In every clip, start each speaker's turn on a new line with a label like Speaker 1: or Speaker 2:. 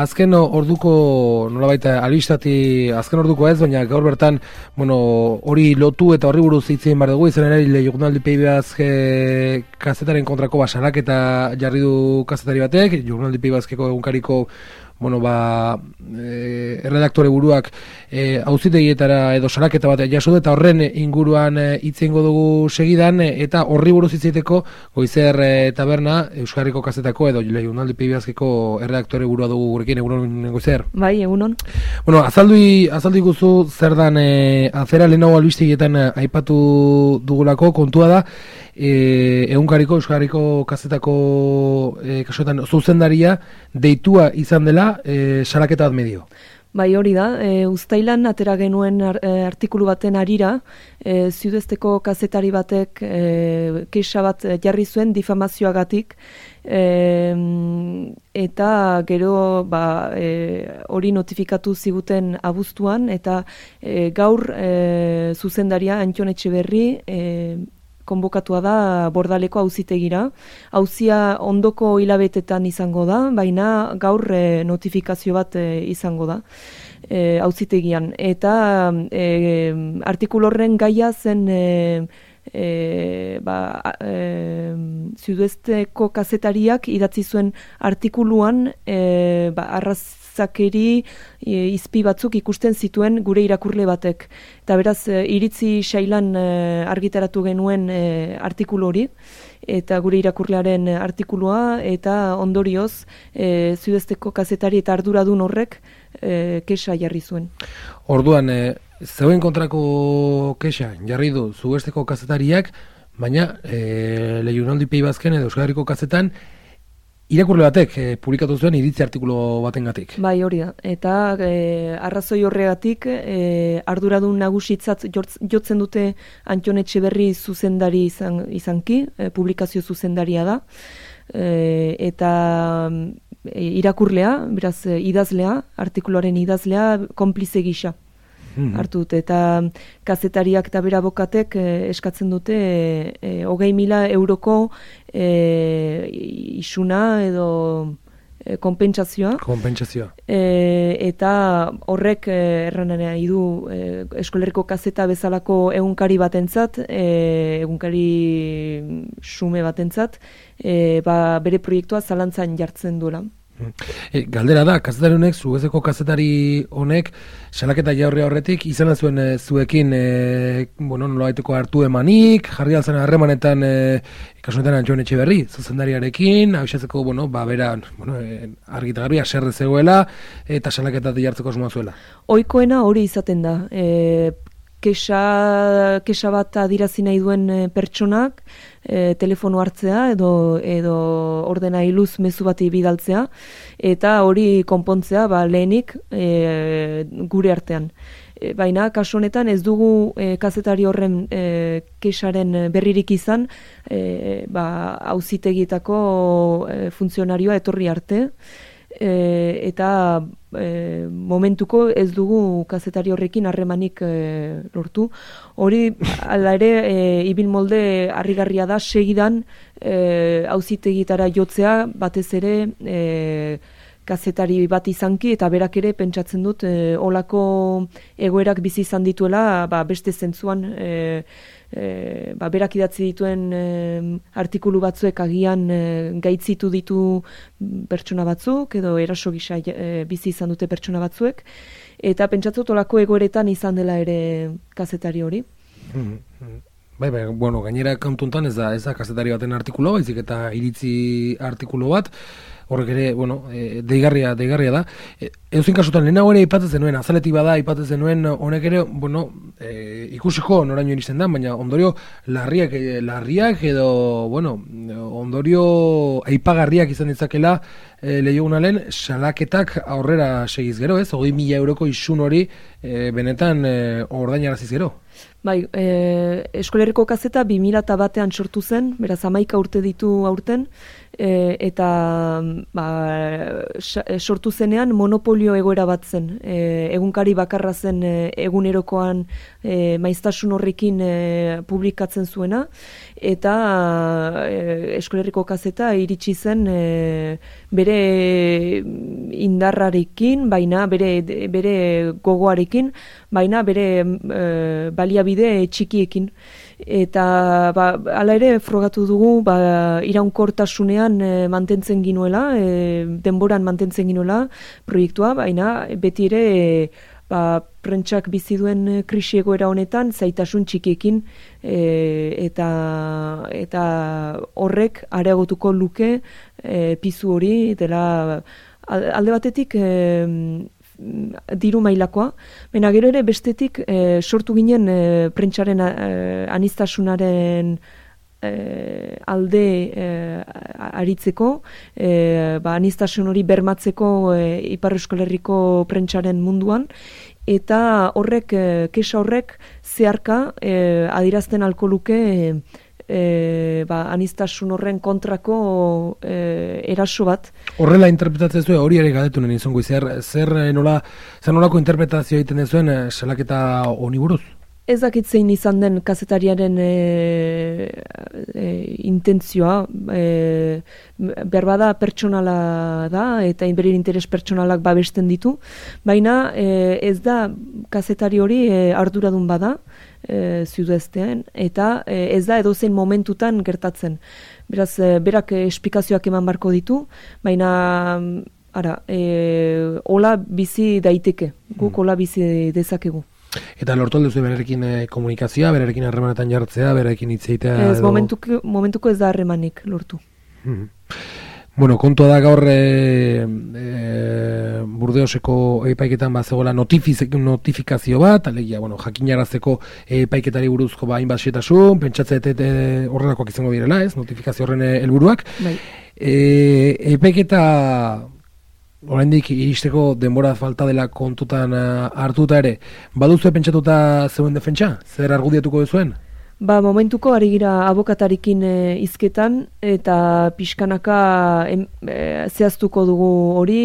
Speaker 1: azken orduko, nolabait albistati azken orduko ez, baina gaur bertan, hori lotu eta horri buruz hitz egin behar dugu, izan ere, jurnaldi Peibazke kazetaren kontrako salaketa jarri du kazetari batek, jurnaldi Peibazkeko egunkariko erredaktore buruak auzitegietara edo salaketa bat jaso eta horren inguruan hitz egingo dugu segidan, eta horri buruz hitz egiteko Goizer taberna Euskarriko kazetako edo jurnaldi Peibazkeko erredaktore burua dugu gurekin. Egunon, Goizer?
Speaker 2: Bai, egunon.
Speaker 1: Azaldu iguzu zer dan afera lehenago albistegietan aipatu dugulako. Kontua da, egunkariko Euskarriko kazetako kasuetan zuzendaria deitua izan dela salaketa bat medio.
Speaker 2: Bai, hori da, uztailan atera genuen artikulu baten harira, Ziudezteko kazetari batek kexa bat jarri zuen difamazioagatik, eta gero hori notifikatu ziguten abuztuan, eta gaur zuzendaria Antton Etxeberri konbokatua da Bordaleko auzitegira. Auzia ondoko hilabetetan izango da, baina gaur notifikazio bat izango da auzitegian. Eta artikulu horren gaia zen Ziudezteko kazetariak idatzi zuen artikuluan arrazakeri izpi batzuk ikusten zituen gure irakurle batek. Eta beraz, iritzi sailan argitaratu genuen artikulu hori, eta gure irakurlearen artikulua, eta ondorioz Ziudezteko kazetari eta arduradun horrek kexa jarri zuen.
Speaker 1: Orduan, zeuen kontrako kexa jarri du Ziudezteko kazetariak, baina jurnaldi Peibazken edo Euskarriko kazetan irakurle batek publikatu zuen iritzi artikulu batengatik.
Speaker 2: Bai, hori da. Eta arrazoi horregatik arduradun nagusitzat jotzen dute Antton Etxeberri zuzendari izanki, publikazio zuzendaria da, eta irakurlea, beraz idazlea, artikuluaren idazlea, konplize gisa hartu dute, eta kazetariak eta bera abokatek eskatzen dute 20.000 euroko isuna edo konpentsazioa. Eta horrek erran nahi du Eskolerriko kazeta bezalako egunkari batentzat, egunkari xume batentzat, bere proiektua zalantzan jartzen duela.
Speaker 1: Galdera da, kazetari honek, Ziudezteko kazetari honek, salaketa jarri horretik, izan zuen zuekin, nolabaiteko hartu emanik, jarri altzen harremanetan, kasunetan Antton Etxeberri, zuzendariarekin, abisatzeko, bera, argita garbi, aserre zegoela, eta salaketa jartzeko asmoa zuela.
Speaker 2: Ohikoena hori izaten da, kexa bat adirazi nahi duen pertsonak, telefono hartzea edo ordenailuz mezu bati bidaltzea, eta hori konpontzea lehenik gure artean. Baina kasu honetan ez dugu kazetari horren kexaren berririk izan, auzitegietako funtzionarioa etorri arte, eta momentuko ez dugu kazetari horrekin harremanik lortu. Hori, ala ere, ibil molde harrigarria da, segidan auzitegitara jotzea, batez ere kazetari bat izanki, eta berak ere pentsatzen dut olako egoerak bizi izan dituela, beste zentzuan berak idatzi dituen artikulu batzuek agian gaitzitu ditu pertsona batzuk, edo eraso gisa bizi izan dute pertsona batzuek, eta pentsatzen dut olako egoeretan izan dela ere kazetari hori.
Speaker 1: Bai, gainera kantuntan ez da kazetari baten artikulu, baizik eta iritzi artikulu bat, horrek ere, deigarria da. Euzin kasutan, lehenago ere aipatzen zenuen, azaletik bada aipatzen zenuen, honek ere, ikusiko noraino iristen da, baina ondorio larriak edo, ondorio aipagarriak izan ditzakela lehiogunalen salaketak aurrera segiz gero, ez? 20.000 euroko isun hori benetan ordainaraziz gero.
Speaker 2: Bai, Eskolerriko kazeta 2001 sortu zen, beraz 11 urte ditu aurten, eta sortu zenean monopolio egoera bat zen. Egunkari bakarra zen egunerokoan maiztasun horrekin publikatzen zuena, eta Euskal Herriko Kazeta iritsi zen bere indarrarekin, baina bere gogoarekin, baina bere baliabide txikiekin. Eta hala ere frogatu dugu iraunkortasunean mantentzen ginuela, denboran mantentzen ginuela proiektua, baina beti ere prentsak bizi duen krisi egoera honetan zaitasun txikiekin, eta horrek areagotuko luke pizu hori dela alde batetik diru mailakoa, baina gero ere bestetik sortu ginen prentsaren aniztasunaren alde aritzeko, aniztasun hori bermatzeko Ipar Euskal Herriko prentsaren munduan, eta kexa horrek zeharka adierazten ahalko luke aniztasun horren kontrako eraso bat.
Speaker 1: Horrela interpretatzen zuen, hori ere galdetu nien izango, zer nolako interpretazio egiten zuen salaketa honi buruz?
Speaker 2: Ez dakit zein izan den kazetariaren intentzioa, berbada pertsonala da, eta bere interes pertsonalak babesten ditu, baina ez da kazetari hori arduradun bada, Zuduestean, eta ez da edozein momentutan gertatzen. Beraz, berak esplikazioak eman barko ditu, baina hola bizi daiteke, guk hola bizi dezakegu.
Speaker 1: Eta lortu alduzu berarekin komunikazioa, berarekin harremanetan jartzea, berarekin hitz egitea?
Speaker 2: Ez, momentuko ez da harremanik lortu.
Speaker 1: Bueno, kontua da gaur Burdeoseko epaiketan zegoela notifikazio bat, alegia, jakinarazteko epaiketari buruzko hainbat xehetasun, pentsatzen horrelakoak izango direla, ez, notifikazio horren helburuak.
Speaker 2: Bai.
Speaker 1: Epaiketa oraindik iristeko denbora falta dela kontutan hartuta ere, baduzu pentsatuta zeuen defentsa? Zer argudiatuko duzuen?
Speaker 2: Momentuko ari gira abokatarikin hizketan, eta pixkanaka zehaztuko dugu hori,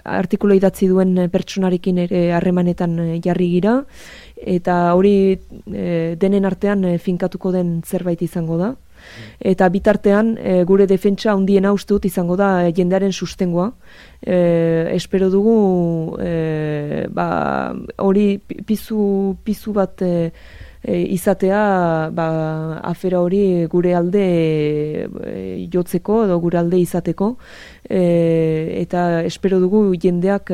Speaker 2: artikulu idatzi duen pertsonarekin ere harremanetan jarri gira, eta hori denen artean finkatuko den zerbait izango da. Eta bitartean gure defentsa handiena uste dut izango da jendearen sustengoa. Espero dugu hori pizu bat izatea afera hori gure alde jotzeko edo gure alde izateko, eta espero dugu jendeak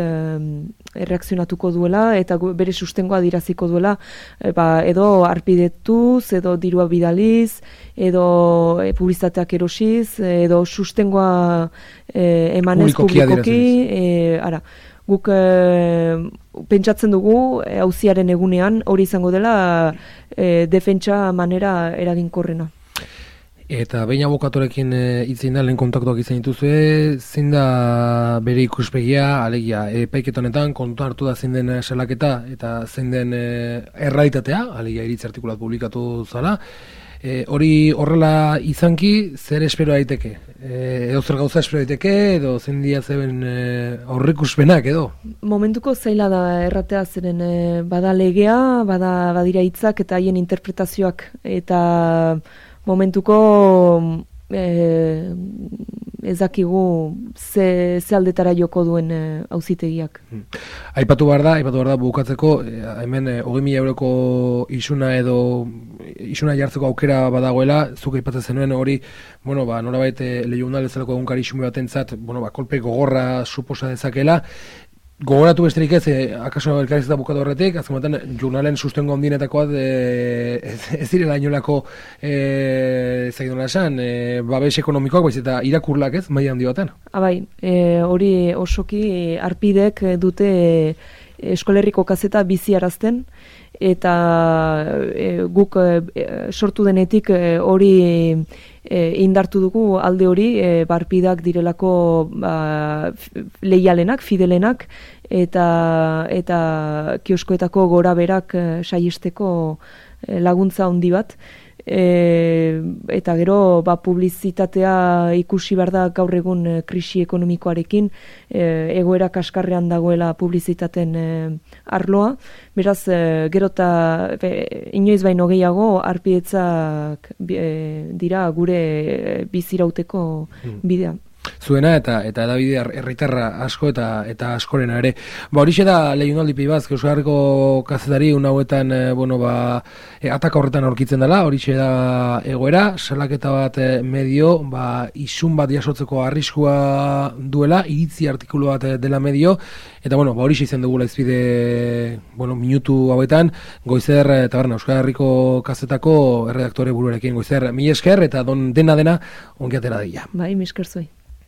Speaker 2: erreakzionatuko duela eta bere sustengoa adiraziko duela, edo arpidetuz, edo dirua bidaliz, edo publizitateak erosiz, edo sustengoa emanez publikoki. Guk pentsatzen dugu auziaren egunean hori izango dela defentsa manera eraginkorrena.
Speaker 1: Eta behin abokatorekin hitzein da, lehen kontaktuak izan dituzue, zein da bere ikuspegia, alegia, epaiketa honetan kontuan hartu da zein den salaketa eta zein den errealitatea, alegia iritzi artikulat publikatu zala. Hori horrela izanki, zer espero daiteke? Edo zer gauza espero daiteke, edo zein dia zeben aurrikuspenak edo? Momentuko
Speaker 2: zaila da erratea, zeren bada legea, badira hitzak eta haien interpretazioak, eta momentuko ez dakigu ze aldetara joko duen auzitegiak.
Speaker 1: Aipatu behar da bukatzeko, hemen 20.000 euroko isuna jartzeko aukera badagoela, zuk aipatzen zenuen hori, norabait Lehiunal bezalako egunkari isume batentzat, kolpe gogorra suposa dezakela. Gogoratu besterik ez, akaso elkarrizketa bukatu horretik, azken batean, jurnalen sustengo handinetakoa ez direla inolako zaidona esan, babes ekonomikoak, baiz eta irakurlak ez, maila handi baten.
Speaker 2: Hori osoki arpidek dute Euskal Herriko Kazeta biziarazten, eta guk sortu denetik hori indartu dugu alde hori, barpidak direlako leialenak, fidelenak, eta kioskoetako gora berak saihesteko laguntza handi bat. Eta gero publizitatea ikusi behar da gaur egun krisi ekonomikoarekin, egoera kaskarrean dagoela publizitaten arloa, beraz gero eta inoiz baino gehiago arpietzak dira gure bizirauteko bidea.
Speaker 1: Zuena eta edabide herritarra asko eta askorena ere. Horixe da Leionaldi Pibaz, Euskal Herriko kazetari hauetan ataka horretan aurkitzen dela, horixe da egoera, salaketa bat medio, isun bat jasotzeko arriskua duela, iritzi artikulu bat dela medio, eta horixe izan dugula izbide minutu hauetan, Goizer Taberna, Euskal Herriko kazetako erredaktore buruarekin. Goizer, mila esker eta dena ongi atera dira.
Speaker 2: Bai, mila esker zuei.